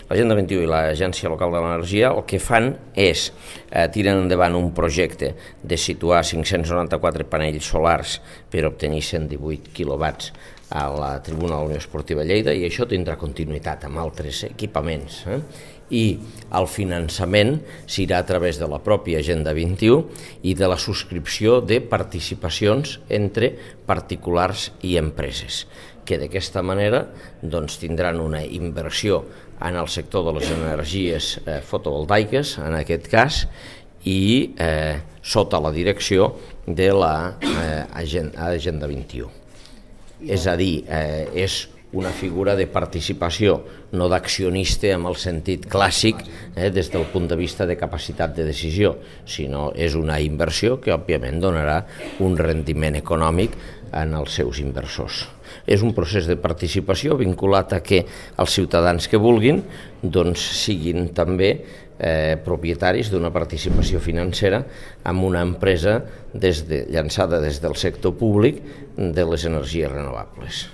l'Agenda 21 i l'Agència Local de l'Energia el que fan és tirar endavant un projecte de situar 594 panells solars per obtenir 118 quilowatts a la tribuna de la Unió Esportiva Lleida, i això tindrà continuïtat amb altres equipaments. I el finançament serà a través de la pròpia Agenda 21 i de la subscripció de participacions entre particulars i empreses, que d'aquesta manera tindran una inversió en el sector de les energies fotovoltaiques, en aquest cas, i sota la direcció de l'Agenda 21. És a dir, és una figura de participació, no d'accionista en el sentit clàssic des del punt de vista de capacitat de decisió, sinó és una inversió que òbviament donarà un rendiment econòmic en els seus inversors. És un procés de participació vinculat a que els ciutadans que vulguin siguin també propietaris d'una participació financera amb una empresa llançada des del sector públic de les energies renovables.